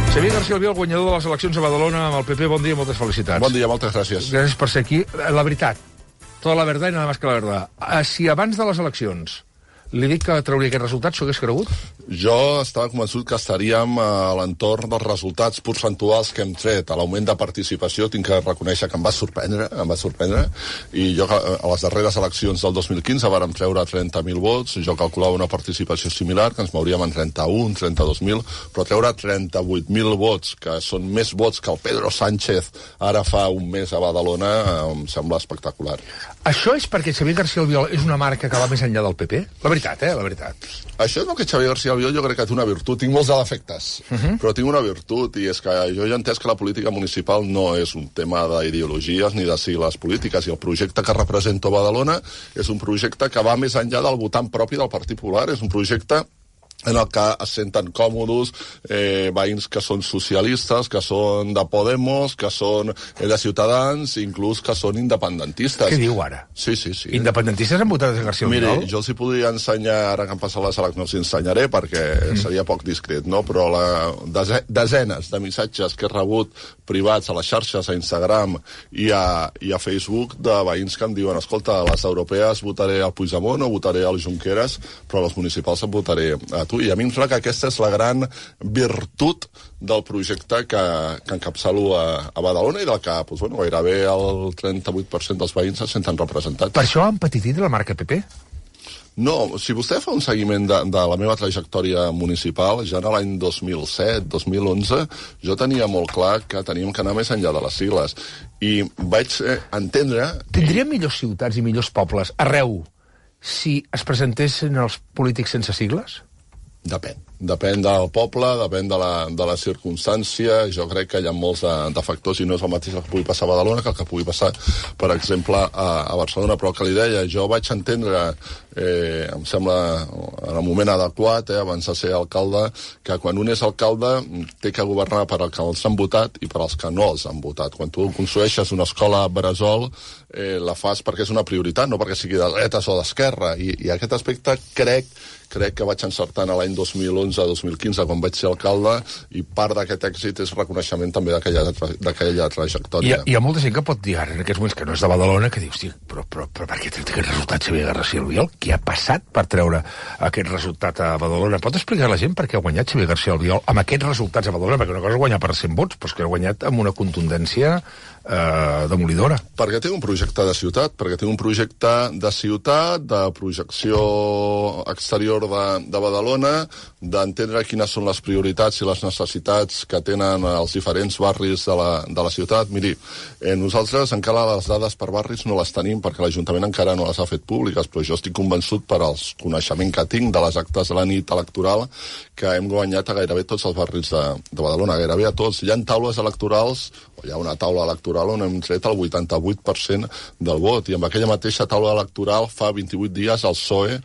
Xavier García Albiol, guanyador de les eleccions a Badalona amb el PP. Bon dia, moltes felicitats. Bon dia, moltes gràcies. Gràcies per ser aquí. La veritat, tota la verdad i nada más que la verdad. Si abans de les eleccions li dic que trauria aquest resultat, s'ho hagués cregut? Jo estava convençut que estaríem a l'entorn dels resultats percentuals que hem tret. A l'augment de participació tinc que reconèixer que em va sorprendre, i jo a les darreres eleccions del 2015 vàrem treure 30.000 vots, jo calculava una participació similar, que ens mouríem en 31, 32.000, però treure 38.000 vots, que són més vots que el Pedro Sánchez ara fa un mes a Badalona, em sembla espectacular. Això és perquè Xavier García Albiol és una marca que va més enllà del PP? La veritat, la veritat. Això és el que Xavier García Albiol jo crec que té una virtut. Tinc molts defectes, però tinc una virtut, i és que jo ja he entès que la política municipal no és un tema d'ideologies ni de sigles polítiques, i el projecte que represento a Badalona és un projecte que va més enllà del votant propi del Partit Popular. És un projecte en el que es senten còmodes veïns que són socialistes, que són de Podemos, que són de Ciutadans, inclús que són independentistes. Què diu ara? Sí. Independentistes han votat a García Albiol? Miri, jo els hi podria ensenyar, ara que han passat les eleccions, no els ensenyaré perquè seria poc discret, no? Però desenes de missatges que he rebut privats a les xarxes, a Instagram i a Facebook, de veïns que em diuen: escolta, a les europees votaré a Puigdemont o votaré al Junqueras, però a les municipals em votaré a tu. I a mi em sembla que aquesta és la gran virtut del projecte que encapçalo a Badalona, i del que gairebé el 38% dels veïns se senten representats. Per això han empetitit la marca PP? No, si vostè fa un seguiment de la meva trajectòria municipal, ja en l'any 2007, 2011, jo tenia molt clar que teníem que anar més enllà de les sigles. I vaig entendre... Tindríem millors ciutats i millors pobles arreu si es presentessin els polítics sense sigles? Depèn del poble, depèn de la circumstància. Jo crec que hi ha molts de factors, i no és el mateix el que pugui passar a Badalona que el que pugui passar, per exemple, a Barcelona. Però el que li deia, jo vaig entendre, em sembla, en el moment adequat, abans de ser alcalde, que quan un és alcalde té que governar per als que els han votat i per als que no els han votat. Quan tu construeixes una escola bressol, la fas perquè és una prioritat, no perquè sigui de dretes o d'esquerra. I aquest aspecte crec que vaig encertar a l'any 2011-2015, quan vaig ser alcalde, i part d'aquest èxit és reconeixement també d'aquella trajectòria. Hi ha molta gent que pot dir ara, en aquests moments, que no és de Badalona, que diu: hosti, però per què té aquest resultat Xavier García Albiol? Què ha passat per treure aquest resultat a Badalona? Pot explicar a la gent per què ha guanyat Xavier García Albiol amb aquests resultats a Badalona? Perquè una cosa és guanyar per 100 vots, però és que ha guanyat amb una contundència demolidora. Perquè té un projecte de ciutat, de projecció exterior de Badalona, d'entendre quines són les prioritats i les necessitats que tenen els diferents barris de la ciutat. Miri, nosaltres encara les dades per barris no les tenim perquè l'Ajuntament encara no les ha fet públiques, però jo estic convençut per als coneixements que tinc de les actes de la nit electoral que hem guanyat a gairebé tots els barris de Badalona, gairebé a tots. Hi ha taules electorals, o hi ha una taula electoral on hem tret el 88% del vot, i amb aquella mateixa taula electoral fa 28 dies el PSOE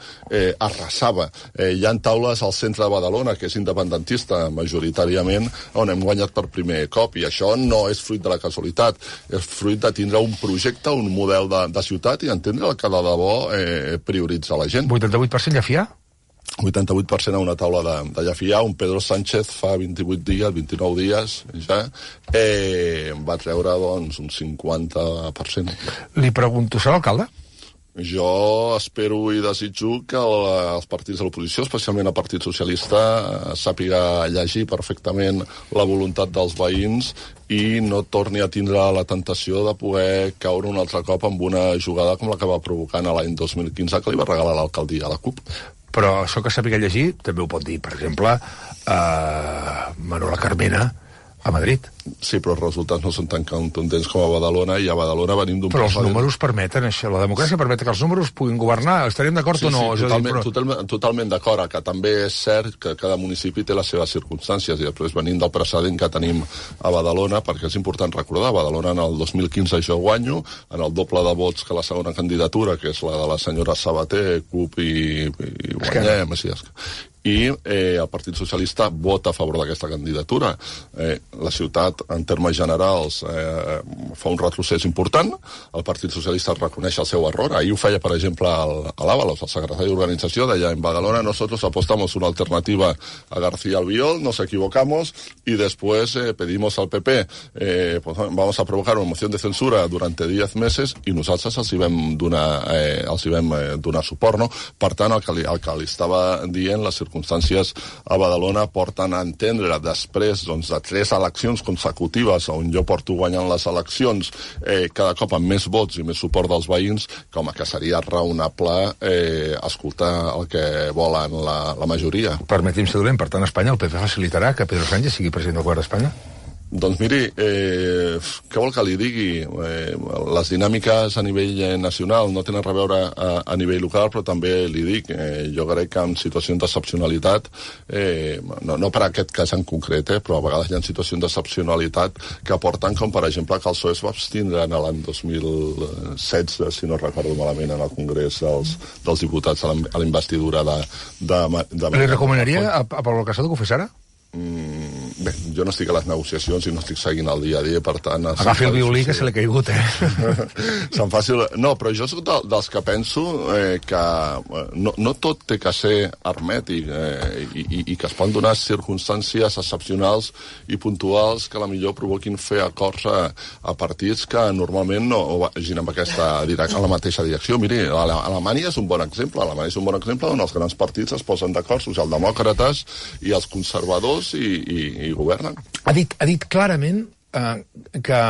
arrasava. Hi ha taules al centre de Badalona, que és independentista majoritàriament, on hem guanyat per primer cop, i això no és fruit de la casualitat, és fruit de tindre un projecte, un model de ciutat, i entendre el que de debò prioritza la gent. 88% Llefià? 88% a una taula de Llefià. Un Pedro Sánchez fa 28 dies, 29 dies ja, va treure doncs un 50%. Li pregunto, serà alcalde? Jo espero i desitjo que els partits de l'oposició, especialment el Partit Socialista, sàpiga llegir perfectament la voluntat dels veïns i no torni a tindre la tentació de poder caure un altre cop amb una jugada com la que va provocar l'any 2015, que li va regalar l'alcaldia a la CUP. Però això que sàpiga llegir també ho pot dir, per exemple, Manuela Carmena a Madrid. Sí, però els resultats no són tan contundents com a Badalona, i a Badalona venim d'un... Però els números permeten això, la democràcia permet que els números puguin governar. Estaríem d'acord o no? Sí, totalment d'acord, que també és cert que cada municipi té les seves circumstàncies, i després venim del precedent que tenim a Badalona, perquè és important recordar, a Badalona en el 2015 jo guanyo, en el doble de vots que la segona candidatura, que és la de la senyora Sabater, CUP i guanyem, i el Partit Socialista vota a favor d'aquesta candidatura. La ciutat, en termes generals, fa un retrocés important, el Partit Socialista reconeix el seu error. Ahir ho feia, per exemple, a l'Ábalos, el secretari d'organització, deia, en Badalona nosotros apostamos una alternativa a García Albiol, nos equivocamos, y después pedimos al PP, pues, vamos a provocar una moción de censura durante 10 meses, i nosaltres els hi vam donar suport, no? Per tant, el que li estava dient, les circumstàncies a Badalona porten a entendre, després doncs, de 3 eleccions consecutives on jo porto guanyant les eleccions cada cop amb més vots i més suport dels veïns, com que seria raonable escoltar el que volen la majoria. Permeti'm ser dolent, per tant, Espanya, el PP facilitarà que Pedro Sánchez sigui president del govern d'Espanya? Doncs miri, què vol que li digui? Les dinàmiques a nivell nacional no tenen res a veure a nivell local, però també li dic, jo crec que en situacions d'excepcionalitat, no per aquest cas en concret, però a vegades hi ha situacions d'excepcionalitat que porten, com per exemple que el PSOE es va abstindre l'any 2016, si no recordo malament, en el Congrés dels Diputats a la investidura de... Li recomanaria a Pablo Casado que ho fes ara? Bé, jo no estic a les negociacions i no estic seguint el dia a dia, per tant... Agafi el violí, que se l'ha caigut, Se'n faci... No, però jo soc dels que penso que no tot té que ser hermètic i que es poden donar circumstàncies excepcionals i puntuals que potser provoquin fer acords a partits que normalment no vagin en la mateixa direcció. Miri, Alemanya és un bon exemple. Alemanya és un bon exemple on els grans partits es posen d'acord, socialdemòcrates i els conservadors, i governen. Ha dit clarament que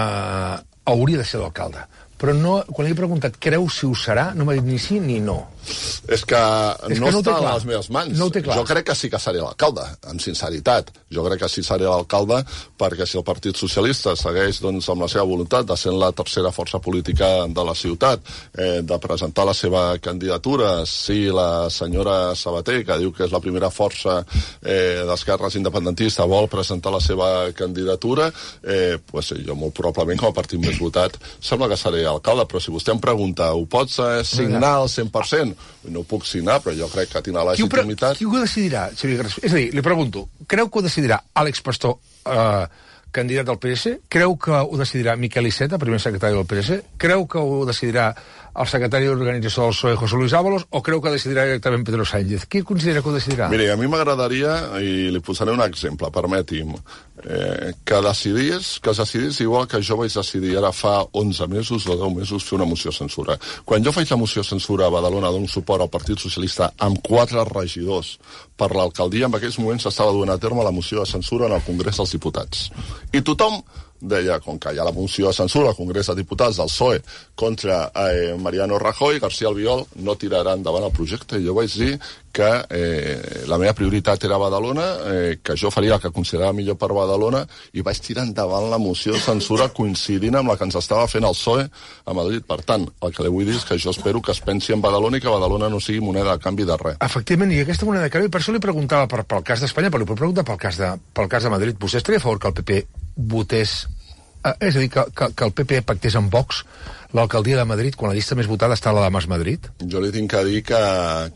hauria de ser l'alcalde, però no, quan li he preguntat creu si ho serà, no m'ha dit ni sí ni no. És que no està a les meves mans. No ho té clar. Jo crec que sí que seré l'alcalde, amb sinceritat. Jo crec que sí seré l'alcalde, perquè si el Partit Socialista segueix doncs, amb la seva voluntat de ser la tercera força política de la ciutat, de presentar la seva candidatura, si la senyora Sabater, que diu que és la primera força d'esquerres independentista, vol presentar la seva candidatura, pues, jo molt probablement com a partit més votat sembla que seré alcalde, però si vostè em pregunta, ho pots signar al 100%? No ho puc signar, però jo crec que tindrà la legitimitat. Qui ho decidirà, Xavier García? És a dir, li pregunto, creu que ho decidirà Àlex Pastor, candidat del PS? Creu que ho decidirà Miquel Iceta, primer secretari del PS? Creu que ho decidirà el secretari d'organització del PSOE, José Luis Ábalos, o creu que decidirà directament Pedro Sánchez? Qui considera que ho decidirà? Miri, a mi m'agradaria, i li posaré un exemple, permeti'm, que es decidís igual que jo vaig decidir ara fa 11 mesos o 10 mesos fer una moció de censura. Quan jo faig la moció de censura a Badalona, dono suport al Partit Socialista amb 4 regidors per l'alcaldia, en aquells moments s'estava duent a terme la moció de censura en el Congrés dels Diputats. I tothom deia, com que hi ha la moció de censura al Congrés dels Diputats del PSOE contra Mariano Rajoy, García Albiol no tirarà endavant el projecte. I jo vaig dir que la meva prioritat era Badalona, que jo faria el que considerava millor per Badalona, i vaig tirar endavant la moció de censura coincidint amb la que ens estava fent el PSOE a Madrid. Per tant, el que li vull dir és que jo espero que es pensi en Badalona i que Badalona no sigui moneda de canvi de res. Efectivament, i aquesta moneda de canvi, per això li preguntava pel cas d'Espanya, però li puc preguntar pel cas de Madrid. Vostè estaria a favor que el PP votés, és a dir, que el PP pactés amb Vox l'alcaldia de Madrid, quan la llista més votada està a la de Mas Madrid? Jo li tinc que dir que,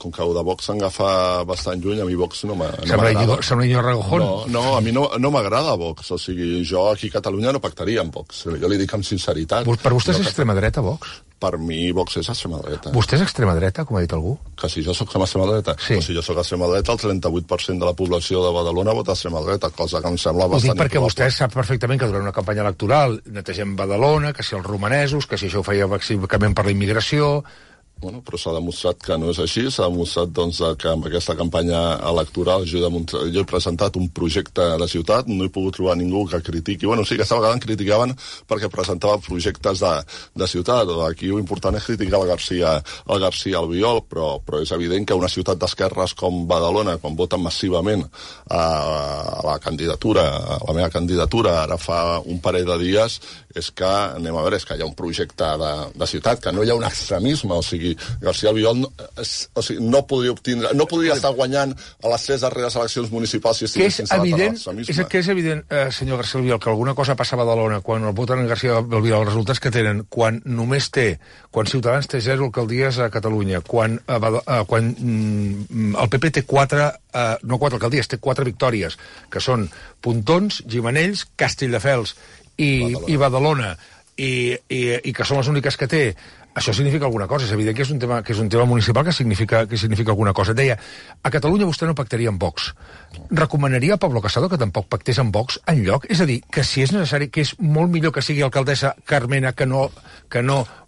com que el de Vox s'agafa bastant lluny, a mi Vox no m'agrada. Sembla Iñigo Ragojón. No, a mi no m'agrada Vox. O sigui, jo aquí a Catalunya no pactaria amb Vox. Jo li dic amb sinceritat. Per vostè és extrema dreta, Vox? Per mi Vox és extrema dreta. Vostè és extrema dreta, com ha dit algú? Que si jo soc extrema dreta? Sí. O si jo soc extrema dreta, el 38% de la població de Badalona vota extrema dreta, cosa que em sembla bastant... Ho dic perquè vostè sap perfectament que durant una campanya electoral netegem Badalona, que si els romanesos, que si això ho feia bàsicament per la immigració... Bueno, però s'ha demostrat que no és així, s'ha demostrat doncs, que amb aquesta campanya electoral jo he presentat un projecte de ciutat, no he pogut trobar ningú que critiqui, bueno, sí que aquesta vegada em criticaven perquè presentava projectes de ciutat, aquí l'important és criticar el García Albiol, però és evident que una ciutat d'esquerres com Badalona, quan voten massivament a la candidatura, a la meva candidatura, ara fa un parell de dies, és que, anem a veure, és que hi ha un projecte de ciutat, que no hi ha un extremisme, o sigui, sigui, García Albiol no podria estar guanyant a les 3 darreres eleccions municipals si estigués instal·lat en l'extremisme. Que és evident, senyor García Albiol, que alguna cosa passa a Badalona quan el voten en García Albiol, els resultats que tenen, quan Ciutadans té 0 alcaldies a Catalunya, quan el PP té 4 alcaldies, té 4 victòries, que són Pontons, Gimenells, Castelldefels i Badalona, i que són les úniques que té. Això significa alguna cosa. És evident que és un tema municipal que significa alguna cosa. Deia, a Catalunya vostè no pactaria amb Vox. Recomanaria a Pablo Casado que tampoc pactés amb Vox enlloc? És a dir, que si és necessari, que és molt millor que sigui alcaldessa Carmena que no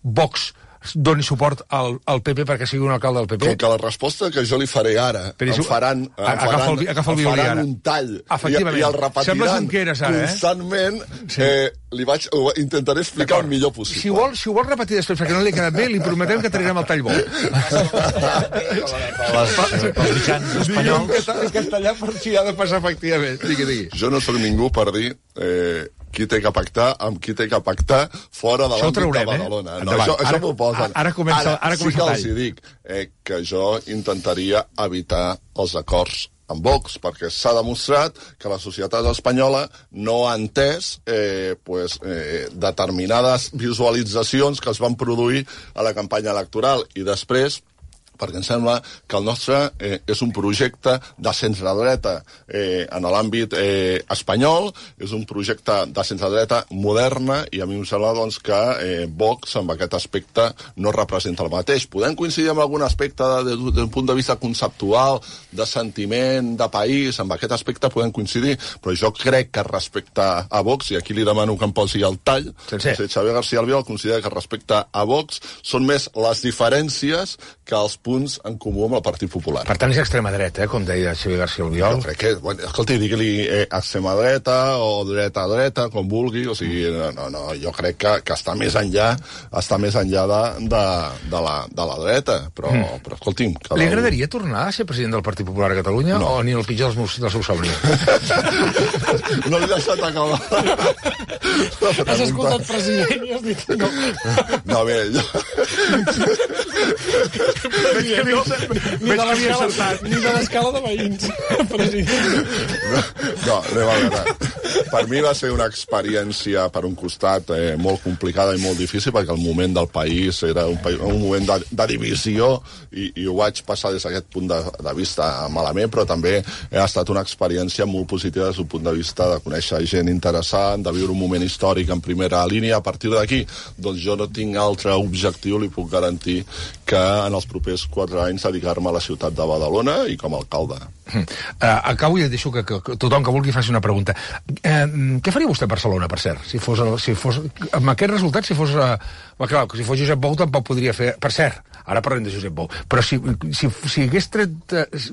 Vox doni suport al PP perquè sigui un alcalde del PP? Com que la resposta que jo li faré ara em faran un tall i el repetiran constantment, intentaré explicar el millor possible. Si ho vol repetir després perquè no li ha quedat bé, li prometem que trairem el tall bo. Els mitjans espanyols. En castellà per si ha de passar efectivament. Digui. Jo no soc ningú per dir qui té que pactar amb qui té que pactar fora de l'àmbit de Badalona. Això m'ho posen. Ara comença sí que els dic que jo intentaria evitar els acords amb Vox, perquè s'ha demostrat que la societat espanyola no ha entès determinades visualitzacions que es van produir a la campanya electoral i després perquè em sembla que el nostre és un projecte de centredreta en l'àmbit espanyol, és un projecte de centredreta moderna i a mi em sembla doncs, que Vox amb aquest aspecte no representa el mateix. Podem coincidir en algun aspecte des d'un punt de vista conceptual, de sentiment, de país, amb aquest aspecte podem coincidir, però jo crec que respecte a Vox, i aquí li demano que em posi el tall, Xavier García Albiol considera que respecte a Vox són més les diferències que els punts en comú amb el Partit Popular. Per tant, és extrema dreta, com deia Xavier García Albiol. Jo crec que, escolti, digui-li extrema dreta o dreta, com vulgui, o sigui, no, jo crec que està més enllà de la dreta, però escolti'm... Li agradaria tornar a ser president del Partit Popular a Catalunya o ni el pitjor dels seus somnis? No l'he deixat acabar. Has escoltat president i has dit no. No, bé, jo... Ni de l'escala de veïns, president. No, anem a veure. Per mi va ser una experiència, per un costat, molt complicada i molt difícil, perquè el moment del país era un moment de divisió i ho vaig passar des d'aquest punt de vista malament, però també ha estat una experiència molt positiva des d'un punt de vista de conèixer gent interessant, de viure un moment històric en primera línia. A partir d'aquí, doncs jo no tinc altre objectiu, li puc garantir, que en els propers 4 anys dedicar-me a la ciutat de Badalona i com a alcalde. Acabo i deixo que tothom que vulgui faci una pregunta. Què faria vostè a Barcelona, per cert? Si fos amb aquest resultat, si fos Josep Bou tampoc podria fer... Per cert, ara parlem de Josep Bou, però si hagués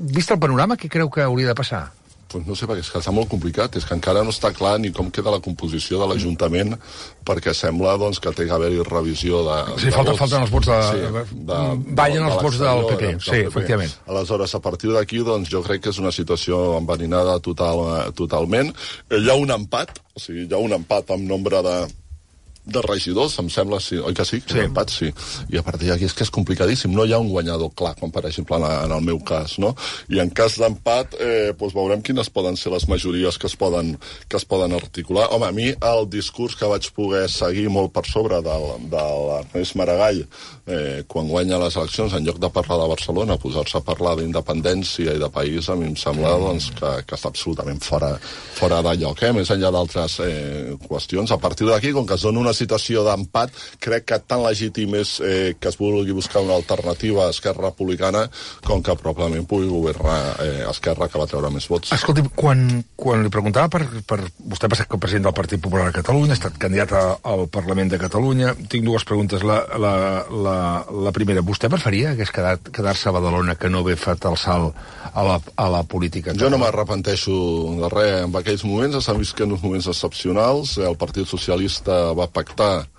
vist el panorama, què creu que hauria de passar? Pues no sé, perquè és que està molt complicat, és que encara no està clar ni com queda la composició de l'Ajuntament, perquè sembla doncs, que té que haver-hi revisió de... Sí, falten els vots ballen els vots del PP, sí, efectivament. Aleshores, a partir d'aquí, doncs, jo crec que és una situació enverinada totalment. Hi ha un empat, o sigui, hi ha un empat amb nombre de regidors, em sembla, sí, oi que sí? Sí. Un empat, sí. I a partir d'aquí és que és complicadíssim. No hi ha un guanyador clar, com per exemple en el meu cas, no? I en cas d'empat, doncs veurem quines poden ser les majories que es poden articular. Home, a mi el discurs que vaig poder seguir molt per sobre de l'Ernest Maragall quan guanya les eleccions, en lloc de parlar de Barcelona, posar-se a parlar d'independència i de país, a mi em sembla doncs, que està absolutament fora de lloc, més enllà d'altres qüestions. A partir d'aquí, com que es dona una situació d'empat, crec que tan legítim és que es vulgui buscar una alternativa a Esquerra Republicana com que probablement pugui governar Esquerra, que va treure més vots. Escolti, quan li preguntava per vostè va ser president del Partit Popular a Catalunya, ha estat candidat al Parlament de Catalunya, tinc 2 preguntes. La primera, vostè preferia hagués quedar-se a Badalona que no haver fet el salt a la política? Jo no m'arrepenteixo de res. En aquells moments s'han viscut uns moments excepcionals. El Partit Socialista va pactar,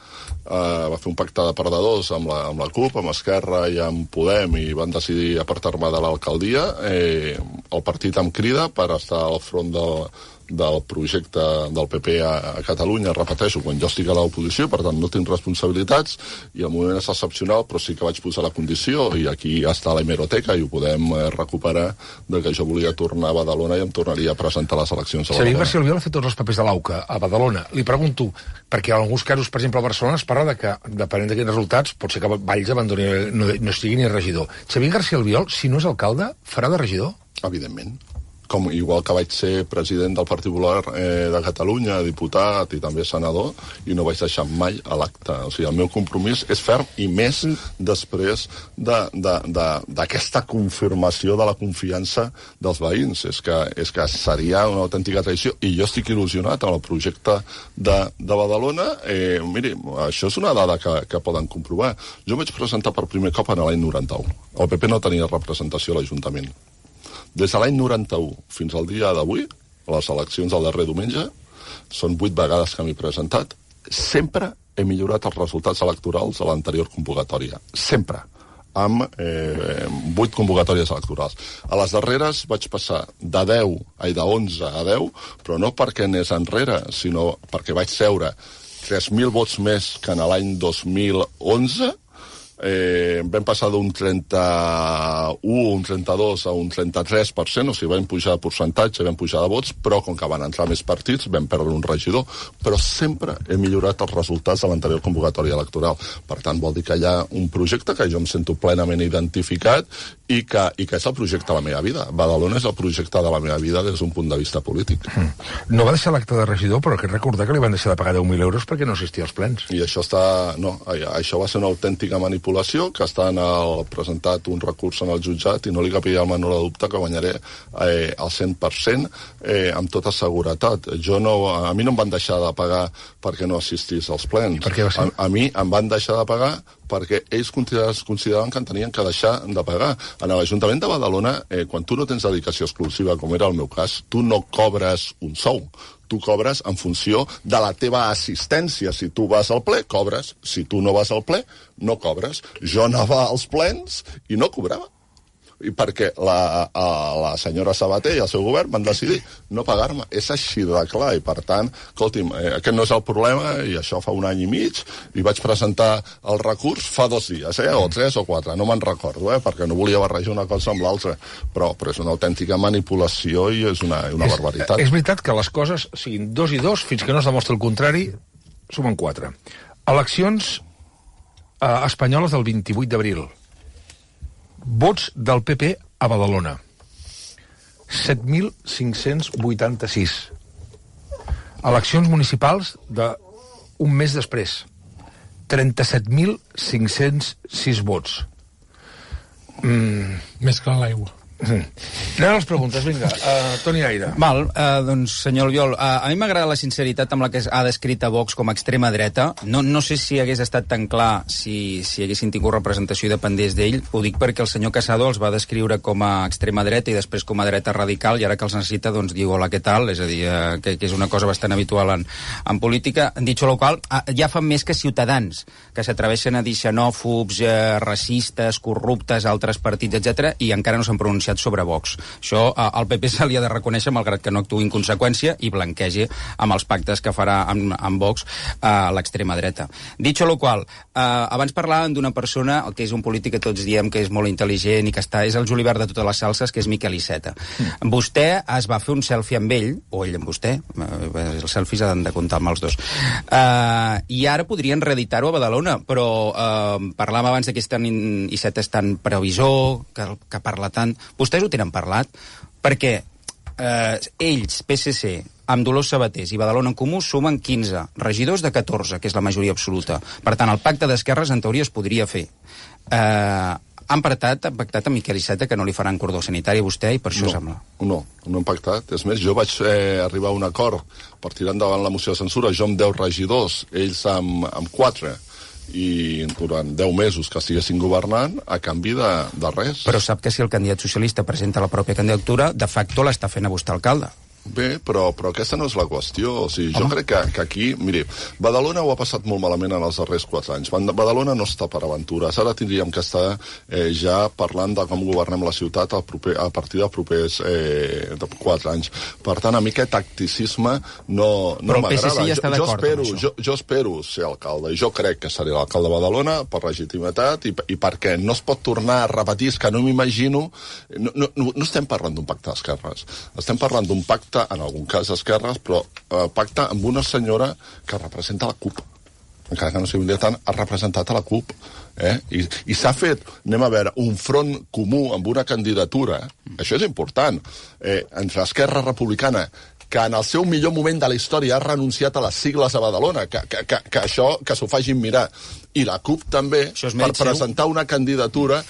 va fer un pacte de perdedors amb la CUP, amb Esquerra i amb Podem, i van decidir apartar-me de l'alcaldia. El partit em crida per estar al front del projecte del PP a Catalunya, repeteixo, quan jo estic a l'oposició, per tant no tinc responsabilitats, i el moment és excepcional, però sí que vaig posar la condició, i aquí està la hemeroteca, i ho podem recuperar, de que jo volia tornar a Badalona i em tornaria a presentar a les eleccions a Badalona. Xavier García Albiol ha fet tots els papers de l'AUCA a Badalona. Li pregunto, perquè en alguns casos, per exemple, a Barcelona es parla de que, depenent d'aquests resultats, pot ser que Valls abandoni, no estigui ni regidor. Xavier García Albiol, si no és alcalde, farà de regidor? Evidentment. Com igual que vaig ser president del Partit Popular de Catalunya, diputat i també senador, i no vaig deixar mai a l'acte. O sigui, el meu compromís és ferm, i més després d'aquesta confirmació de la confiança dels veïns. És que seria una autèntica traïció, i jo estic il·lusionat amb el projecte de Badalona. Miri, això és una dada que poden comprovar. Jo vaig presentar per primer cop en l'any 91. El PP no tenia representació a l'Ajuntament. Des de l'any 91 fins al dia d'avui, a les eleccions del darrer diumenge, són 8 vegades que m'he presentat, sempre he millorat els resultats electorals a l'anterior convocatòria. Sempre. Amb 8 convocatòries electorals. A les darreres vaig passar de 11 a 10, però no perquè anés enrere, sinó perquè vaig seure 3.000 vots més que en l'any 2011. Vam passar d'un 31, un 32 a un 33%, o sigui, vam pujar de percentatge, vam pujar de vots, però com que van entrar més partits, vam perdre un regidor. Però sempre he millorat els resultats de l'anterior convocatòria electoral. Per tant, vol dir que hi ha un projecte que jo em sento plenament identificat i que és el projecte de la meva vida. Badalona és el projecte de la meva vida des d'un punt de vista polític. No va deixar l'acte de regidor, però crec recordar que li van deixar de pagar 10.000 euros perquè no assistia als plens. I això això va ser una autèntica manipulació, que està presentat un recurs en el jutjat, i no li capia el menor dubte que guanyaré al 100% amb tota seguretat. A mi no em van deixar de pagar perquè no assistís als plens. Per què va ser? A mi em van deixar de pagar perquè ells consideraven que en tenien que deixar de pagar. En l'Ajuntament de Badalona, quan tu no tens dedicació exclusiva, com era el meu cas, tu no cobres un sou. Tu cobres en funció de la teva assistència. Si tu vas al ple, cobres. Si tu no vas al ple, no cobres. Jo anava als plens i no cobrava. I perquè la senyora Sabater i el seu govern van decidir no pagar-me. És així de clar, i per tant, escolti'm, aquest no és el problema, i això fa 1 any i mig, i vaig presentar el recurs fa 2 dies, o 3 o 4, no me'n recordo, perquè no volia barrejar una cosa amb l'altra, però és una autèntica manipulació i és una barbaritat. És veritat que les coses siguin 2 i 2, fins que no es demostri el contrari, sumen 4. Eleccions espanyoles del 28 d'abril. Vots del PP a Badalona. 7.586. Eleccions municipals d'un mes després. 37.506 vots. Més que l'aigua. Anem a les preguntes, vinga. Toni Aire. Val, doncs, senyor Albiol, a mi m'agrada la sinceritat amb la que ha descrit a Vox com a extrema dreta. No sé si hagués estat tan clar si haguessin tingut representació i dependés d'ell. Ho dic perquè el senyor Casado els va descriure com a extrema dreta i després com a dreta radical, i ara que els necessita, doncs, diu hola, què tal? És a dir, que és una cosa bastant habitual en política. Dit lo qual, ja fan més que Ciutadans, que s'atreveixen a dir xenòfobs, racistes, corruptes, altres partits, etc, i encara no s'han pronunciat sobre Vox. Això al PP se li ha de reconèixer, malgrat que no actuï en conseqüència i blanquegi amb els pactes que farà amb Vox a l'extrema dreta. Dit lo qual, abans parlàvem d'una persona que és un polític que tots diem que és molt intel·ligent i que és el julivert de totes les salses, que és Miquel Iceta. Vostè es va fer un selfie amb ell, o ell amb vostè, els selfies han de comptar amb els dos, i ara podrien reeditar-ho a Badalona, però parlàvem abans que Iceta és tan previsor, que parla tant. Vostès ho tenen parlat? Perquè ells, PSC, amb Dolors Sabatés i Badalona en Comú, sumen 15 regidors de 14, que és la majoria absoluta. Per tant, el pacte d'esquerres, en teoria, es podria fer. Han pactat amb Miquel Iceta que no li faran cordó sanitari a vostè, i per això sembla. No hem pactat. És més, jo vaig arribar a un acord per tirar endavant la moció de censura, jo amb 10 regidors, ells amb 4, i durant 10 mesos que estiguessin governant a canvi de res. Però sap que si el candidat socialista presenta la pròpia candidatura, de facto l'està fent a vostè alcalde. Bé, però aquesta no és la qüestió. O sigui, jo crec que aquí... Miri, Badalona ho ha passat molt malament en els darrers 4 anys. Badalona no està per aventures. Ara tindríem que estar ja parlant de com governem la ciutat a partir dels propers 4 anys. Per tant, a mi aquest tacticisme no m'agrada. Però el PSC ja està d'acord amb això. Jo espero ser alcalde, i jo crec que seré l'alcalde de Badalona per legitimitat i perquè no es pot tornar a repetir, és que no m'imagino... No estem parlant d'un pacte d'esquerres. Estem parlant d'un pacte, en algun cas d'esquerres, però pacte amb una senyora que representa la CUP. Encara que no sigui militant, ha representat a la CUP. I s'ha fet, anem a veure, un front comú amb una candidatura. Això és important. Entre Esquerra Republicana, que en el seu millor moment de la història ha renunciat a les sigles a Badalona, que això, que s'ho facin mirar. I la CUP també, per presentar una candidatura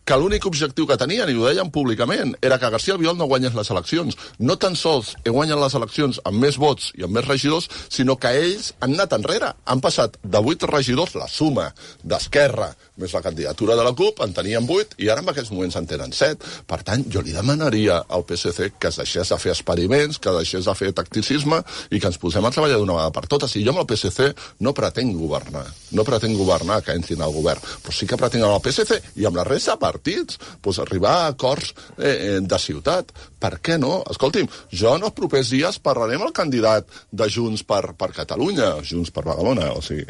que l'únic objectiu que tenien, i ho deien públicament, era que García Albiol no guanyés les eleccions. No tan sols guanyen les eleccions amb més vots i amb més regidors, sinó que ells han anat enrere. Han passat de 8 regidors, la suma d'Esquerra, més la candidatura de la CUP, en tenien 8, i ara en aquests moments en tenen 7. Per tant, jo li demanaria al PSC que es deixés de fer experiments, que deixés de fer tacticisme, i que ens posem a treballar d'una vegada per totes. I jo amb el PSC no pretenc governar. No pretenc governar, que entrin al govern, però sí que pretenc amb el PSC i amb la resta de partits arribar a acords de ciutat. Per què no? Escolti'm, jo en els propers dies parlaré amb el candidat de Junts per Catalunya, Junts per Badalona, o sigui,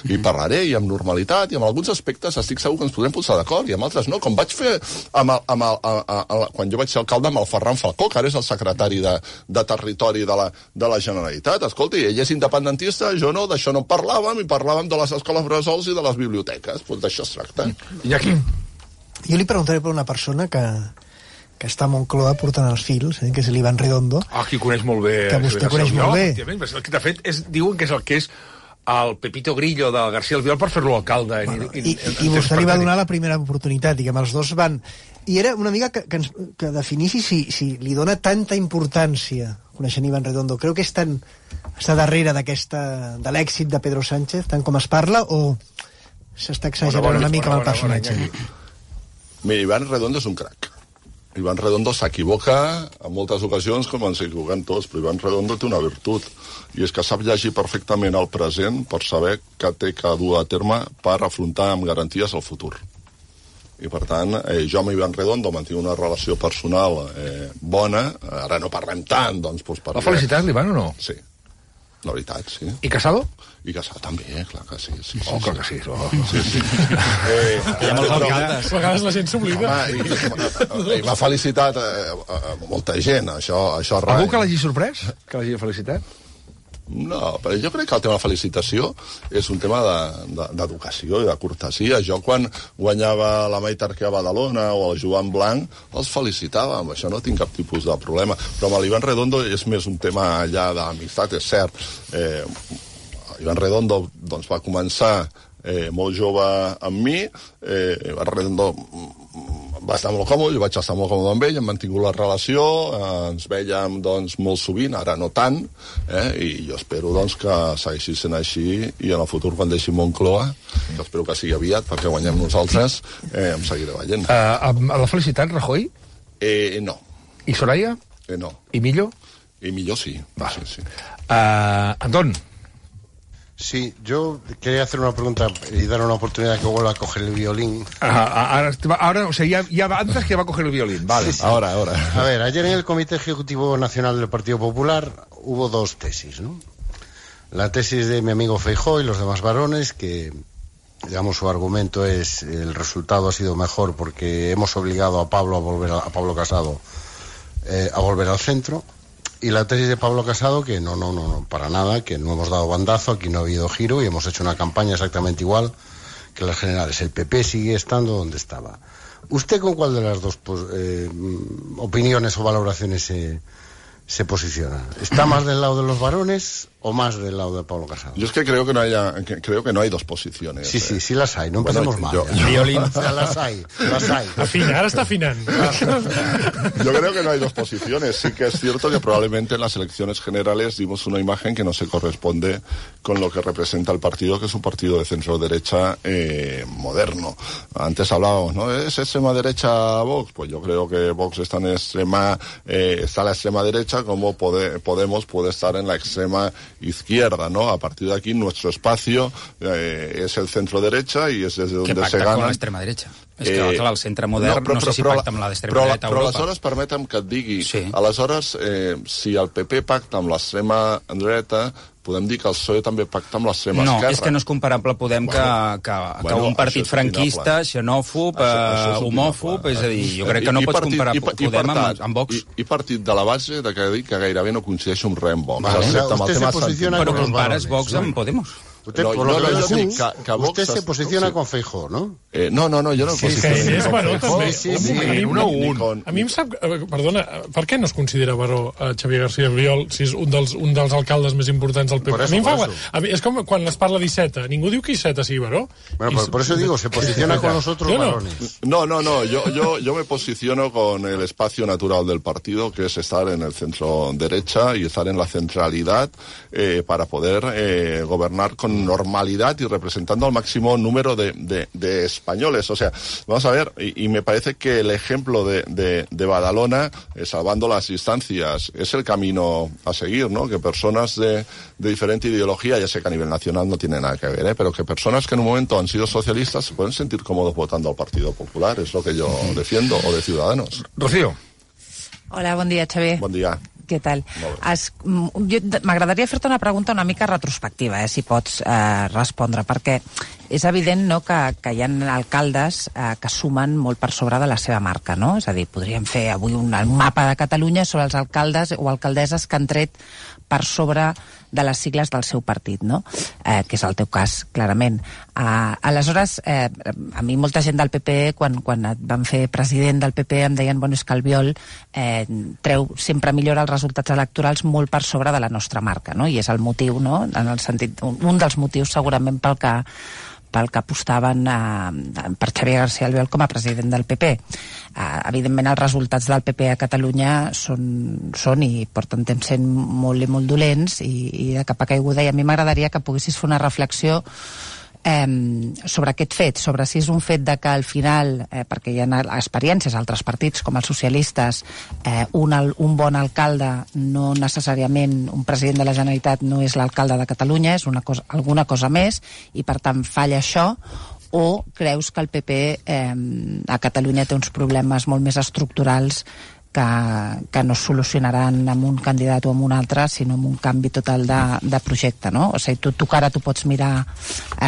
i parlaré, i amb normalitat, i amb alguns aspectes estic segur que ens podrem posar d'acord, i amb altres no, com vaig fer quan jo vaig ser alcalde amb el Ferran Falcó, que ara és el secretari de Territori de la Generalitat. Escolti, ell és independentista, jo no, d'això no en parlàvem, i parlàvem de les escoles bressols i de les biblioteques. Doncs d'això es tracta. I aquí? Jo li preguntaré per una persona que està a Moncloa portant els fils, que és l'Ivan Redondo. Qui coneix molt bé. Que vostè coneix molt bé. El que t'ha fet diuen que és el que és el Pepito Grillo de García Albiol per fer-lo alcalde. I vostè li va donar la primera oportunitat, diguem, els dos van... I era una mica que definissi si li dona tanta importància, coneixent Ivan Redondo, creu que està darrere de l'èxit de Pedro Sánchez, tant com es parla, o s'està exagerant una mica amb el personatge? Mira, Ivan Redondo és un crac. Ivan Redondo s'equivoca en moltes ocasions, com ens equivoquem tots, però Ivan Redondo té una virtut, i és que sap llegir perfectament el present per saber què té que dur a terme per afrontar amb garanties el futur. I per tant, jo amb Ivan Redondo mantinc una relació personal bona, ara no parlem tant, doncs... Va felicitar l'Ivan o no? Sí, la veritat, sí. I Casado? I Casado també, clar que sí. Clar que sí. Hi ha molts alcaldes. A vegades la gent s'oblida. I m'ha felicitat molta gent, això rai. Algú que l'hagi sorprès? Que l'hagi felicitat? No, però jo crec que el tema de felicitació és un tema d'educació i de cortesia. Jo quan guanyava la Maite Arquer a Badalona o el Joan Blanc els felicitava, amb això no tinc cap tipus de problema, però amb l'Ivan Redondo és més un tema allà d'amistat, és cert. Ivan Redondo doncs, va començar molt jove amb mi, Ivan Redondo va estar molt còmode, jo vaig estar molt còmode amb ell, hem mantingut la relació, ens vèiem doncs, molt sovint, ara no tant, i jo espero doncs, que segueixi sent així, i en el futur, quan deixi Moncloa, que espero que sigui aviat, perquè guanyem nosaltres, em seguiré veient. L'ha felicitat Rajoy? No. I Soraya? No. I Millo? I Millo sí. Vale. Sí. Anton. Sí, yo quería hacer una pregunta y dar una oportunidad que vuelva a coger el violín. Ahora, o sea, ya antes que va a coger el violín. Vale, sí. Ahora. A ver, ayer en el Comité Ejecutivo Nacional del Partido Popular hubo 2 tesis, ¿no? La tesis de mi amigo Feijóo y los demás varones, que, digamos, su argumento es el resultado ha sido mejor porque hemos obligado a Pablo Casado a volver al centro. Y la tesis de Pablo Casado, que no, para nada, que no hemos dado bandazo, aquí no ha habido giro y hemos hecho una campaña exactamente igual que las generales. El PP sigue estando donde estaba. ¿Usted con cuál de las dos opiniones o valoraciones se posiciona? ¿Está más del lado de los varones o más del lado de Pablo Casado? Yo es que creo que no hay dos posiciones. Sí las hay, no empecemos mal. Violín. O sea, las hay. Afina, ahora está afinando. Yo creo que no hay dos posiciones. Sí que es cierto que probablemente en las elecciones generales dimos una imagen que no se corresponde con lo que representa el partido, que es un partido de centro-derecha moderno. Antes hablábamos, ¿no? ¿Es extrema derecha Vox? Pues yo creo que Vox está está a la extrema derecha, como Podemos puede estar en la extrema izquierda, ¿no? A partir de aquí nuestro espacio és el centro-derecha i és des d'on se gana... Que pacta con l'extrema-derecha. És que el centre modern no sé si pacta amb l'extrema-dreta a Europa. Però aleshores permetem que et digui... Sí. Aleshores, si el PP pacta amb l'extrema dreta, podem dir que el PSOE també pacta amb l'extrema esquerra. No, és que no és comparable Podem que un partit franquista, xenòfob, homòfob, és a dir, jo crec que no pots comparar Podem amb Vox. I partit de la base de que gairebé no coincideixo amb res amb Vox. Usted se posiciona Però con los compares varones, Vox amb Podemos. Usted, por lo que yo dic que Vox se posiciona con Feijóo, ¿no? No, jo no em posiciono. És baró, també. Sí. A mi em sap... Perdona, per què no es considera baró Xavier García Albiol si és un dels alcaldes més importants del PP? A mi em fa... És com quan es parla d'Iceta. Ningú diu que Iceta sigui baró. Bueno, por eso digo, se posiciona con los otros varones. No. Yo me posiciono con el espacio natural del partido, que es estar en el centro derecha y estar en la centralidad para poder gobernar con normalidad y representando al máximo número de españoles. O sea, vamos a ver, y me parece que el ejemplo de Badalona, salvando las distancias, es el camino a seguir, ¿no? Que personas de diferente ideología, ya sé que a nivel nacional no tiene nada que ver, pero que personas que en un momento han sido socialistas se pueden sentir cómodos votando al Partido Popular, es lo que yo defiendo, o de Ciudadanos. Rocío. Hola, bon dia, Xavier. Bon dia. Què tal? M'agradaria fer-te una pregunta una mica retrospectiva, si pots respondre, perquè és evident, no, que hi ha alcaldes que sumen molt per sobre de la seva marca, no? És a dir, podríem fer avui un mapa de Catalunya sobre els alcaldes o alcaldesses que han tret per sobre de les sigles del seu partit, no? Que és el teu cas, clarament. Aleshores, a mi molta gent del PP, quan et van fer president del PP, em deien, bueno, és que Albiol sempre millora els resultats electorals molt per sobre de la nostra marca, no? I és el motiu, no? En el sentit, un dels motius segurament pel que apostaven per Xavier García Albiol com a president del PP. Evidentment, els resultats del PP a Catalunya són i porten temps sent molt i molt dolents i de capa caiguda, i a mi m'agradaria que poguessis fer una reflexió sobre aquest fet, sobre si és un fet de que al final, perquè hi ha experiències a altres partits com els socialistes, un bon alcalde no necessàriament, un president de la Generalitat no és l'alcalde de Catalunya, és alguna cosa més, i per tant falla això, o creus que el PP a Catalunya té uns problemes molt més estructurals que no es solucionaran amb un candidat o amb un altre, sinó amb un canvi total de projecte, no? O sigui, tu que ara tu pots mirar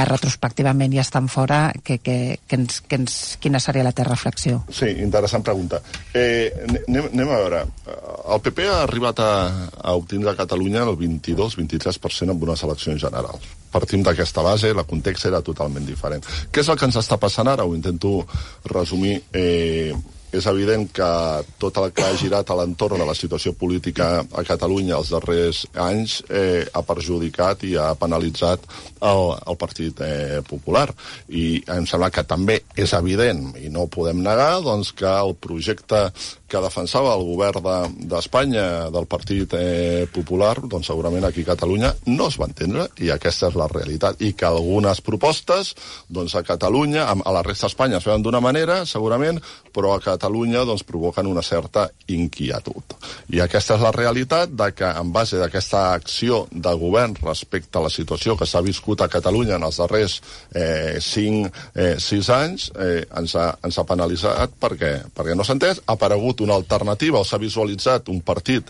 retrospectivament i estar fora, quina seria la teva reflexió? Sí, interessant pregunta. Anem a veure. El PP ha arribat a obtindre a Catalunya el 22-23% en unes eleccions generals. Partim d'aquesta base, el context era totalment diferent. Què és el que ens està passant ara? Ho intento resumir. És evident que tot el que ha girat a l'entorn de la situació política a Catalunya els darrers anys ha perjudicat i ha penalitzat el Partit Popular. I em sembla que també és evident, i no ho podem negar, doncs, que el projecte que defensava el govern d'Espanya del Partit Popular, doncs segurament aquí a Catalunya no es va entendre, i aquesta és la realitat. I que algunes propostes, doncs a Catalunya, a la resta d'Espanya es veuen d'una manera, segurament, però a Catalunya doncs provoquen una certa inquietud. I aquesta és la realitat de que, en base d'aquesta acció de govern respecte a la situació que s'ha viscut a Catalunya en els darrers 5-6 anys, ens ha penalitzat perquè no s'ha entès, ha aparegut una alternativa o s'ha visualitzat un partit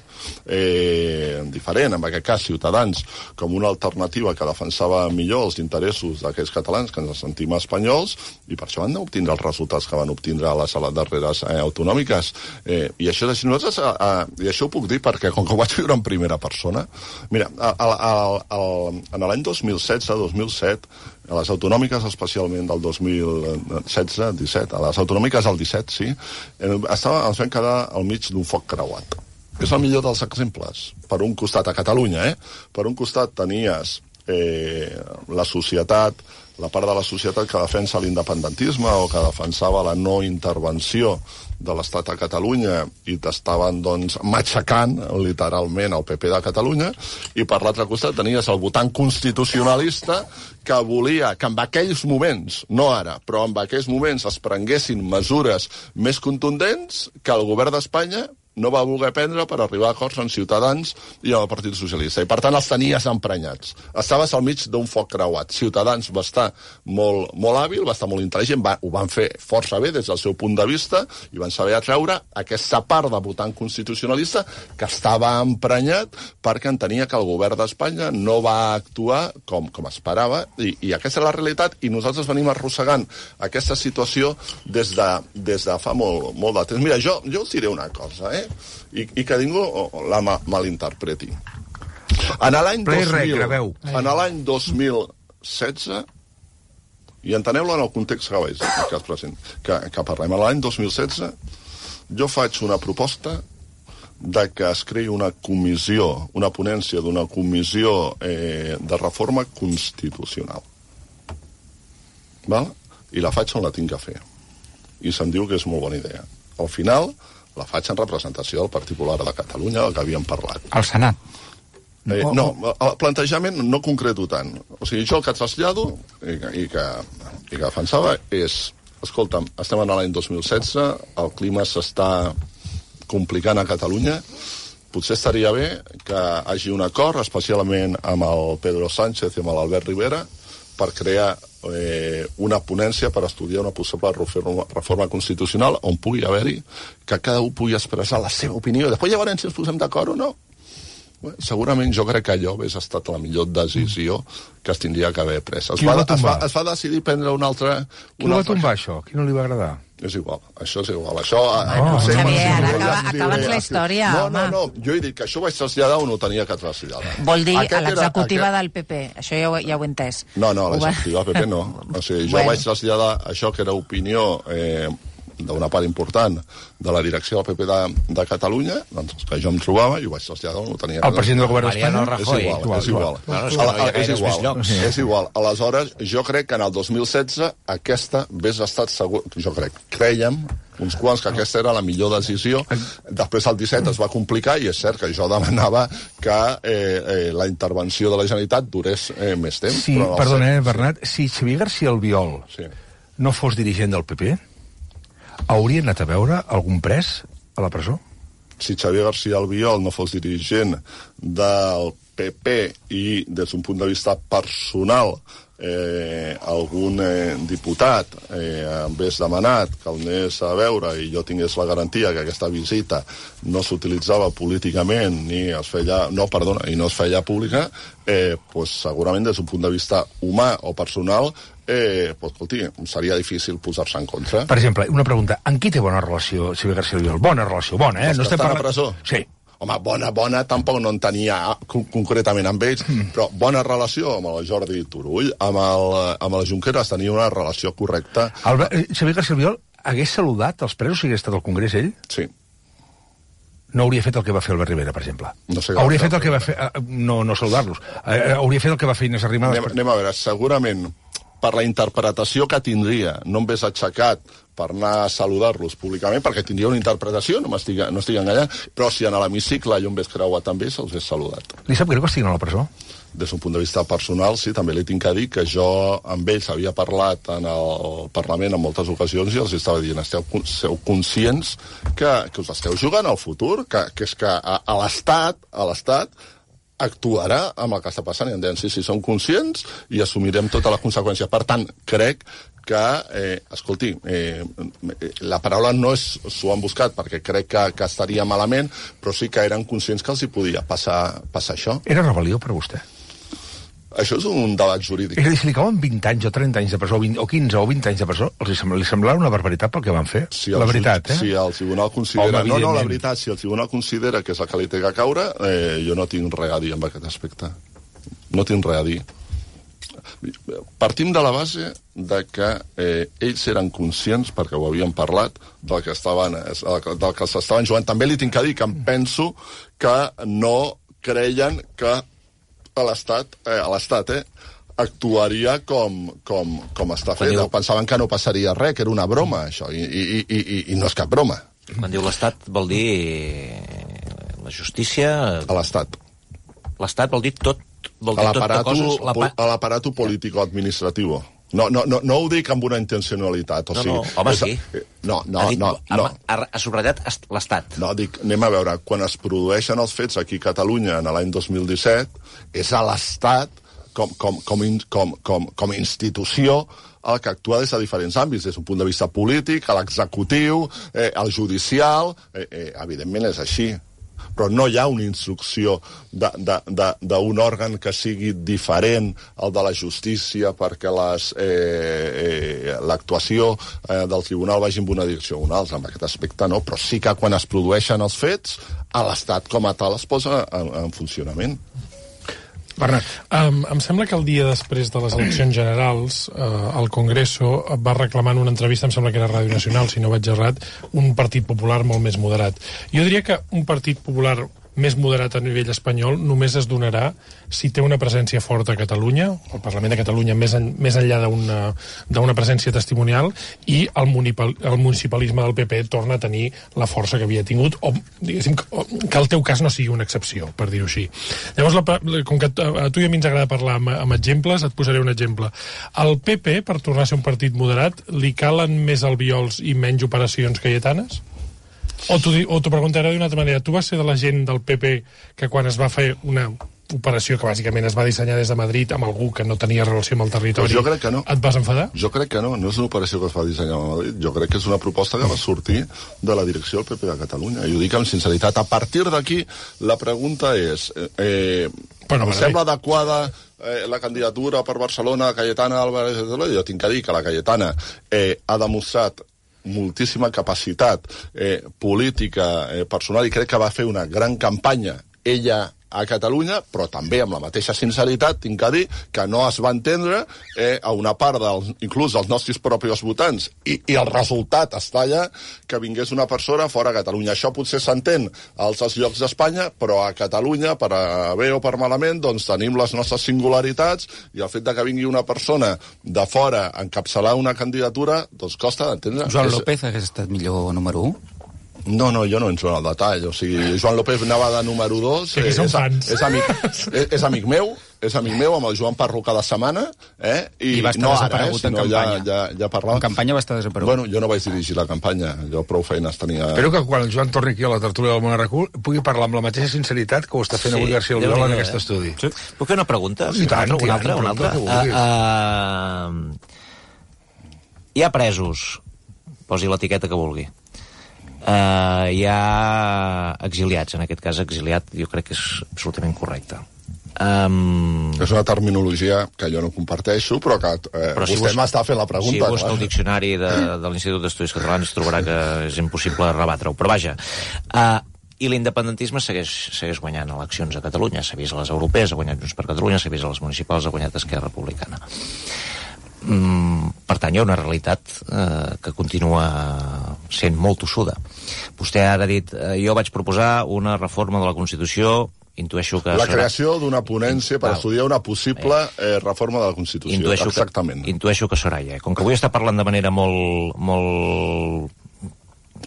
diferent, en aquest cas Ciutadans, com una alternativa que defensava millor els interessos d'aquells catalans que ens sentim espanyols, i per això van obtindre els resultats que van obtindre a les darreres autonòmiques. I això ho puc dir perquè, com que ho vaig viure en primera persona, mira, en l'any 2016-2017, a les autonòmiques, especialment del 2016-17, a les autonòmiques del 17, sí, ens vam quedar al mig d'un foc creuat. És el millor dels exemples. Per un costat, a Catalunya, per un costat tenies la societat, la part de la societat que defensa l'independentisme o que defensava la no intervenció de l'Estat a Catalunya i t'estaven, doncs, matxacant literalment el PP de Catalunya, i per l'altre costat tenies el votant constitucionalista que volia que en aquells moments, no ara, però en aquells moments es prenguessin mesures més contundents que el govern d'Espanya no va voler prendre per arribar a acords amb Ciutadans i amb el Partit Socialista. I, per tant, els tenies emprenyats. Estaves al mig d'un foc creuat. Ciutadans va estar molt hàbil, va estar molt intel·ligent, ho van fer força bé des del seu punt de vista i van saber atreure aquesta part de votant constitucionalista que estava emprenyat perquè entenia que el govern d'Espanya no va actuar com esperava i aquesta és la realitat i nosaltres venim arrossegant aquesta situació des de fa molt de temps. Mira, jo us diré una cosa, i que ningú la malinterpreti. En l'any 2016, i enteneu-lo en el context que parlem, en l'any 2016 jo faig una proposta de que es creï una comissió, una ponència d'una comissió de reforma constitucional. Val? I la faig on la tinc que fer. I se'm diu que és molt bona idea. Al final la faig en representació del Partit Popular de Catalunya, del que havíem parlat. Al Senat? No, el plantejament no concreto tant. O sigui, jo el que trasllado i que defensava és, escolta'm, estem en l'any 2016, el clima s'està complicant a Catalunya, potser estaria bé que hi hagi un acord, especialment amb el Pedro Sánchez i amb l'Albert Rivera, per crear una ponència per estudiar una possible reforma constitucional on pugui haver-hi que cada un pugui expressar la seva opinió. Després llavors si ens posem d'acord o no. Segurament jo crec que allò hauria estat la millor decisió que es tindria que haver pres. Es va decidir prendre una altra... Qui va tombar això? Qui no li va agradar? És igual, això és igual. Això, Xavier, ara acaba'ns la història, home. No, jo he dit que això ho vaig traslladar o no ho tenia que traslladar. Vol dir a l'executiva del PP, això ja ho he entès. No, l'executiva del PP no. O sigui, jo vaig traslladar això que era opinió d'una part important de la direcció del PP de Catalunya, doncs que jo em trobava i ho vaig traslladar, no ho tenia... El president del govern d'Espanya? És igual. Aleshores, jo crec que en el 2016 aquesta hagués estat segur... Jo crèiem uns quants que aquesta era la millor decisió. Després el 17 es va complicar i és cert que jo demanava que la intervenció de la Generalitat durés més temps. Sí, perdona, Bernat, si Xavier García Albiol no fos dirigent del PP, hauria anat a veure algun pres a la presó? Si Xavier García Albiol no fos dirigent del PP i des d'un punt de vista personal algun diputat hagués demanat que el anés a veure i jo tingués la garantia que aquesta visita no s'utilitzava políticament i no es feia pública, pues, segurament des d'un punt de vista humà o personal escolti, seria difícil posar-se en contra. Per exemple, una pregunta. En qui té bona relació Xavier García Albiol? Bona relació, bona, no estem parlant... a presó? Sí. Home, bona tampoc no en tenia concretament amb ells, però bona relació amb el Jordi Turull, amb el Junqueras tenia una relació correcta. Xavier García Albiol hagués saludat els presos si hagués estat al Congrés ell? Sí. No hauria fet el que va fer Albert Rivera, per exemple. No sé hauria fet el que va fer... No saludar-los. Hauria fet el que va fer Inés Arrimadas. Anem a veure, segurament per la interpretació que tindria, no em ves aixecat per anar a saludar-los públicament, perquè tindria una interpretació, no estic enganyant, però si en l'hemicicle jo em ves creuat amb ells, els he saludat. Li sap greu que estiguin a la presó? Des d'un punt de vista personal, sí, també li tinc que dir que jo amb ells havia parlat en el Parlament en moltes ocasions i els estava dient, sou conscients que us esteu jugant al futur, que és que a l'Estat actuarà amb el que està passant i em deien, sí, som conscients i assumirem tota la conseqüència. Per tant, crec que, escolti, la paraula no és s'ho han buscat perquè crec que estaria malament, però sí que eren conscients que els hi podia passar això. Era rebel·lió per vostè? Això és un debat jurídic. És a dir, si li cauen 20 anys o 30 anys de presó, o 15 o 20 anys de presó, li semblarà una barbaritat pel que van fer? La veritat, Si el tribunal considera... No, la veritat, si el tribunal considera que és el que li té que caure, jo no tinc res a dir en aquest aspecte. No tinc res a dir. Partim de la base de que ells eren conscients, perquè ho havien parlat, del que s'estaven jugant. També li tinc que dir que em penso que no creien que l'Estat actuaria com està fet. Pensaven que no passaria res, que era una broma, això, i no és cap broma. Quan diu l'Estat vol dir la justícia... A l'Estat. L'Estat vol dir tot l'aparato político-administratiu. No ho dic amb una intencionalitat. Home, sí. No. Ha subratllat l'Estat. No, dic, anem a veure, quan es produeixen els fets aquí a Catalunya en l'any 2017, és a l'Estat com a institució el que actua des de diferents àmbits, des d'un punt de vista polític, a l'executiu, al judicial, evidentment és així. Però no hi ha una instrucció d'un òrgan que sigui diferent al de la justícia perquè l'actuació del tribunal vagi en una direcció o una altra. En aquest aspecte no, però sí que quan es produeixen els fets, l'Estat com a tal es posa en funcionament. Bernat, em sembla que el dia després de les eleccions generals el Congreso va reclamar en una entrevista, em sembla que era Ràdio Nacional, si no vaig errat, un partit popular molt més moderat. Jo diria que un partit popular més moderat a nivell espanyol només es donarà si té una presència forta a Catalunya, el Parlament de Catalunya més enllà d'una presència testimonial, i el municipalisme del PP torna a tenir la força que havia tingut, o diguéssim que el teu cas no sigui una excepció, per dir-ho així. Llavors, com que a tu i a mi ens agrada parlar amb exemples, et posaré un exemple. Al PP, per tornar a ser un partit moderat, li calen més albiols i menys operacions cayetanes? O t'ho preguntaré d'una altra manera. Tu vas ser de la gent del PP que quan es va fer una operació que bàsicament es va dissenyar des de Madrid amb algú que no tenia relació amb el territori, jo crec que no. Et vas enfadar? Jo crec que no és una operació que es va dissenyar a Madrid. Jo crec que és una proposta que va sortir de la direcció del PP de Catalunya. I ho dic amb sinceritat. A partir d'aquí, la pregunta és... em sembla adequada la candidatura per Barcelona de Cayetana Álvarez de Toledo? Jo tinc que dir que la Cayetana ha demostrat moltíssima capacitat política, personal, i crec que va fer una gran campanya ella a Catalunya, però també amb la mateixa sinceritat tinc que dir que no es va entendre a una part inclús dels nostres propis votants, i el resultat està allà, que vingués una persona fora a Catalunya. Això potser s'entén a altres llocs d'Espanya, però a Catalunya, per a bé o per malament, doncs tenim les nostres singularitats, i el fet de que vingui una persona de fora a encapçalar una candidatura, doncs costa d'entendre. Joan López hagués estat millor número 1? No, jo no entro en el detall. O sigui, Joan López anava de número 2. És amic meu, amb el Joan Parro cada setmana, i va estar desaparegut en campanya. Ja parlàvem. En campanya va estar desaparegut. Bueno, jo no vaig dirigir la campanya, jo prou feines tenia... Espero que quan el Joan torni aquí a la tertúlia del Món Arracul pugui parlar amb la mateixa sinceritat que ho està fent avui García Albiol en aquest estudi. Sí. Puc fer una pregunta? I tant, una altra. Hi ha presos, posi l'etiqueta que vulgui. Hi ha exiliats, en aquest cas exiliat jo crec que és absolutament correcte. És una terminologia que jo no comparteixo, però que vostè m'està fent la pregunta. Si busca el diccionari de l'Institut d'Estudis Catalans trobarà que és impossible rebatre-ho, però vaja. I l'independentisme segueix guanyant eleccions a Catalunya. S'ha vist a les europees, ha guanyat Junts per Catalunya, s'ha vist a les municipals, ha guanyat Esquerra Republicana. Per tant, hi ha una realitat que continua sent molt tossuda. Vostè ara ha dit, jo vaig proposar una reforma de la Constitució, intueixo que... La creació d'una ponència per estudiar una possible reforma de la Constitució. Exactament. Intueixo que serà ja. Com que avui està parlant de manera molt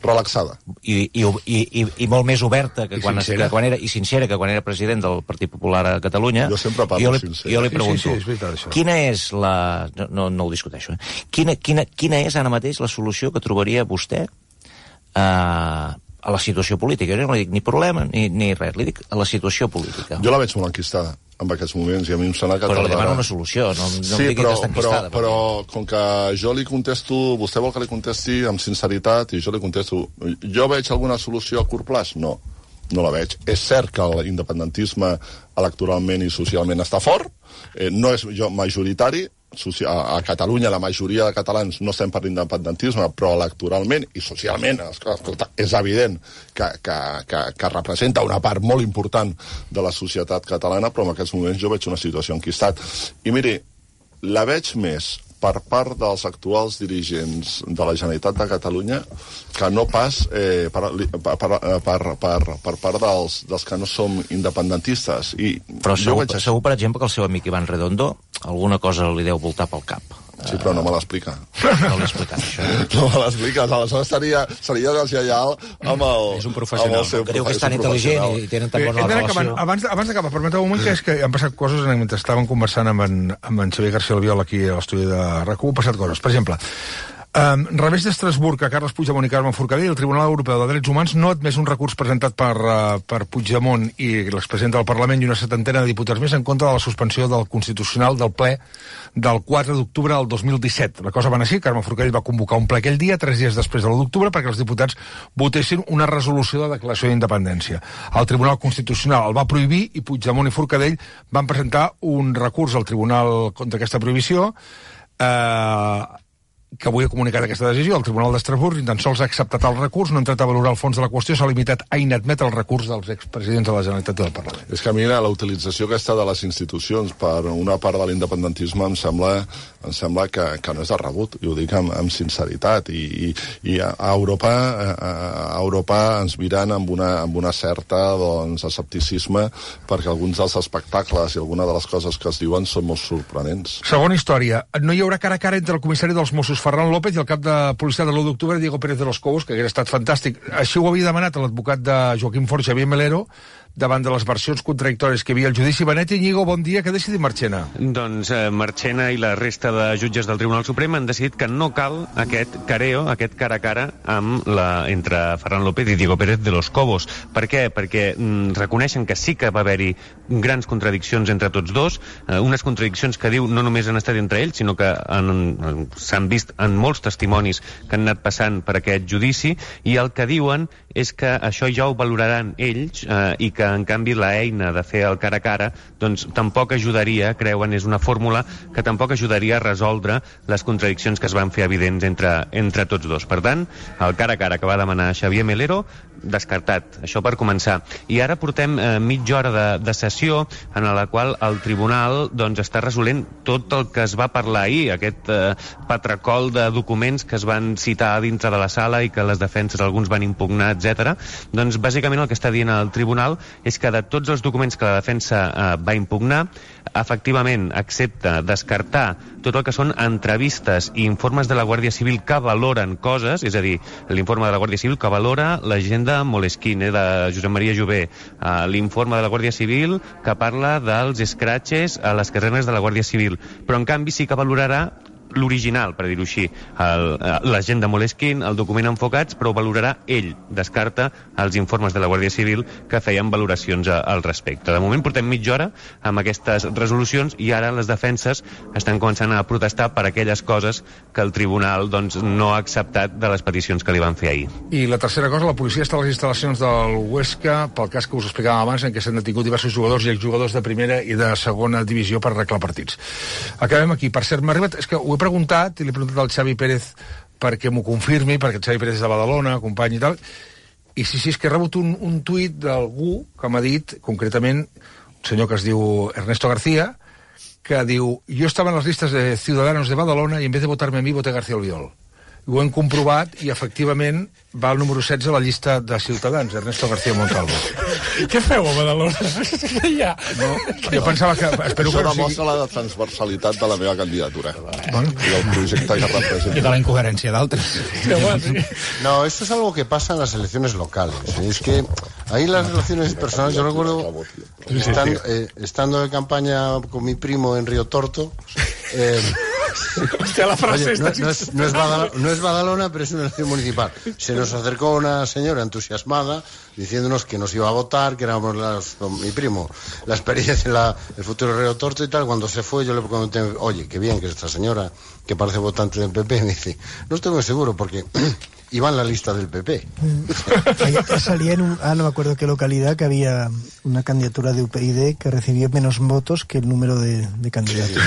relaxada i molt més oberta que quan era, i sincera que quan era president del Partit Popular a Catalunya. Jo sempre parlo sincer. Jo li pregunto, quina és la... No ho discuteixo. Quina és ara mateix la solució que trobaria vostè a la situació política? Jo no li dic ni problema ni res, li dic a la situació política. Jo la veig molt enquistada en aquests moments, i a mi em sembla que... Però li demano una solució, no em digui que està enquistada. Però com que jo li contesto, vostè vol que li contesti amb sinceritat, i jo li contesto, jo veig alguna solució a curt plaç? No la veig. És cert que l'independentisme electoralment i socialment està fort, no és majoritari, a Catalunya la majoria de catalans no estem per l'independentisme, però electoralment i socialment, escolta, és evident que representa una part molt important de la societat catalana, però en aquests moments jo veig una situació enquistat. I miri, la veig més per part dels actuals dirigents de la Generalitat de Catalunya que no pas per part dels que no som independentistes. Però segur, per exemple, que el seu amic Ivan Redondo alguna cosa li deu voltar pel cap. Sí, però no me l'explica. No l'he explicat, això. No me l'explica, aleshores seria deslleial amb el... És un professional, que diu que és tan intel·ligent i tenen tan bona relació. Abans d'acabar, permeteu un moment, que és que han passat coses mentre estàvem conversant amb en Xavier García Albiol aquí a l'estudi de RAC1, han passat coses. Per exemple, revés d'Estrasburg a Carles Puigdemont i Carme Forcadell, el Tribunal Europeu de Drets Humans no ha admès un recurs presentat per Puigdemont i l'expresident del Parlament i una setantena de diputats més en contra de la suspensió del Constitucional del ple del 4 d'octubre del 2017. La cosa va anar així, Carme Forcadell va convocar un ple aquell dia, 3 dies després de l'1 d'octubre, perquè els diputats votessin una resolució de declaració d'independència. El Tribunal Constitucional el va prohibir i Puigdemont i Forcadell van presentar un recurs al Tribunal contra aquesta prohibició, que avui ha comunicat aquesta decisió. El Tribunal d'Estrasburg ni tan sols ha acceptat el recurs, no ha entrat a valorar el fons de la qüestió, s'ha limitat a inadmetre el recurs dels expresidents de la Generalitat i del Parlament. És que a mi la utilització aquesta de les institucions per una part de l'independentisme em sembla que no és de rebut, i ho dic amb sinceritat, i a Europa ens miren amb una certa escepticisme, perquè alguns dels espectacles i alguna de les coses que es diuen són molt sorprenents. Segona història, no hi haurà cara a cara entre el comissari dels Mossos Ferran López i el cap de policia de l'1 d'octubre, Diego Pérez de los Cobos, que hauria estat fantàstic. Així ho havia demanat l'advocat de Joaquim Forn, Xavier Melero, davant de les versions contradictòries que hi havia al judici. Benet Iñigo, bon dia. Què ha decidit Marchena? Doncs Marchena i la resta de jutges del Tribunal Suprem han decidit que no cal aquest careo, aquest cara a cara entre Ferran López i Diego Pérez de los Cobos. Per què? Perquè reconeixen que sí que va haver-hi grans contradiccions entre tots dos, unes contradiccions que diu no només han estat entre ells, sinó que s'han vist en molts testimonis que han anat passant per aquest judici, i el que diuen és que això ja ho valoraran ells, i que en canvi la eina de fer el cara a cara doncs tampoc ajudaria, creuen, és una fórmula que tampoc ajudaria a resoldre les contradiccions que es van fer evidents entre tots dos. Per tant, el cara a cara que va demanar Xavier Melero, descartat, això per començar. I ara portem mitja hora de sessió en la qual el tribunal doncs està resolent tot el que es va parlar ahir, aquest patracol de documents que es van citar dintre de la sala i que les defenses alguns van impugnar, etc. Doncs bàsicament el que està dient el tribunal és que de tots els documents que la defensa va impugnar, efectivament accepta descartar tot el que són entrevistes i informes de la Guàrdia Civil que valoren coses, és a dir, l'informe de la Guàrdia Civil que valora l'agenda Moleskine de Josep Maria Jové, l'informe de la Guàrdia Civil que parla dels escratxes a les casernes de la Guàrdia Civil, però en canvi sí que valorarà l'original, per dir-ho així, l'agenda Moleskine, el document Enfocats, però ho valorarà ell, descarta els informes de la Guàrdia Civil que feien valoracions al respecte. De moment portem mitja hora amb aquestes resolucions i ara les defenses estan començant a protestar per aquelles coses que el tribunal doncs, no ha acceptat de les peticions que li van fer ahir. I la tercera cosa, la policia està a les instal·lacions del Huesca pel cas que us explicàvem abans, en què s'han detingut diversos jugadors i exjugadors de primera i de segona divisió per arreglar partits. Acabem aquí. Per cert, m'ha arribat, és que ho he preguntat, i l'he preguntat al Xavi Pérez perquè m'ho confirmi, perquè el Xavi Pérez és de Badalona, company i tal, i sí, és que he rebut un tuit d'algú que m'ha dit, concretament, un senyor que es diu Ernesto García, que diu, yo estaba en las listas de Ciudadanos de Badalona y en vez de votarme a mí, voté a García Albiol. Ho hem comprovat i, efectivament, va al número 16 a la llista de Ciutadans, Ernesto García Montalvo. Què feu a Badalona? Ja. No, jo pensava que... Espero això que demostra la transversalitat de la meva candidatura. Bueno. I del projecte que representa. I de la incoherència d'altres. No, esto es algo que pasa en las elecciones locales. Es que ahí las relaciones personales, yo recuerdo, estando de campaña con mi primo en Río Torto, Hostia, la frase oye, no es Badalona, pero es una elección municipal. Se nos acercó una señora entusiasmada diciéndonos que nos iba a votar, que éramos con mi primo la experiencia en el futuro Río Torto y tal. Cuando se fue yo le comenté, oye, qué bien que esta señora, que parece votante del PP, me dice, no estoy muy seguro porque iba en la lista del PP. Salía en no me acuerdo qué localidad, que había una candidatura de UPyD que recibía menos votos que el número de candidatos.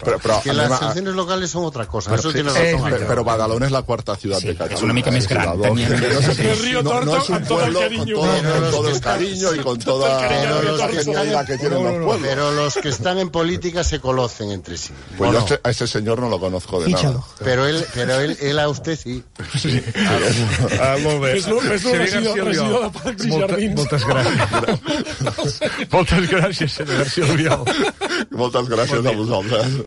Però Que las elecciones locales son otra cosa. Eso tiene razón. Pero Badalona es la cuarta ciudad de Cataluña. Es una mica més gran. El Río Torto, no es un con todo el pueblo cariño. con todo el cariño y con toda la genialidad que tienen los pueblos. Pero los que están en política se conocen entre sí. Pues yo a ese señor no lo conozco de nada. Pero él a usted sí. Molt bé. És-lo regidor de Parcs i Jardins. Moltes gràcies. Moltes gràcies, senyor García Albiol. Moltes gràcies a vosaltres.